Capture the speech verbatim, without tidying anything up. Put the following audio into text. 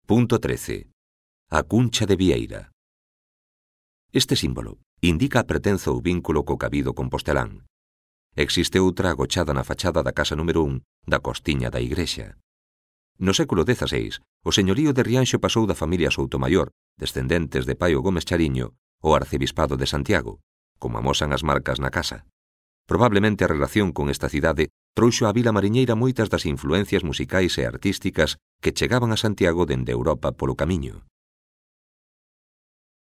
Punto trece. A cuncha de Vieira. Este símbolo indica a pertenza ou vínculo co cabido compostelán. Existe outra agochada na fachada da casa número un da Costiña da Igrexa. No século dezaseis, o señorío de Rianxo pasou da familia Soutomaior, descendentes de Paio Gómez Chariño, ao arcebispado de Santiago, como amosan as marcas na casa. Probablemente a relación con esta cidade trouxo á vila mariñeira moitas das influencias musicais e artísticas que chegaban a Santiago dende Europa polo camiño.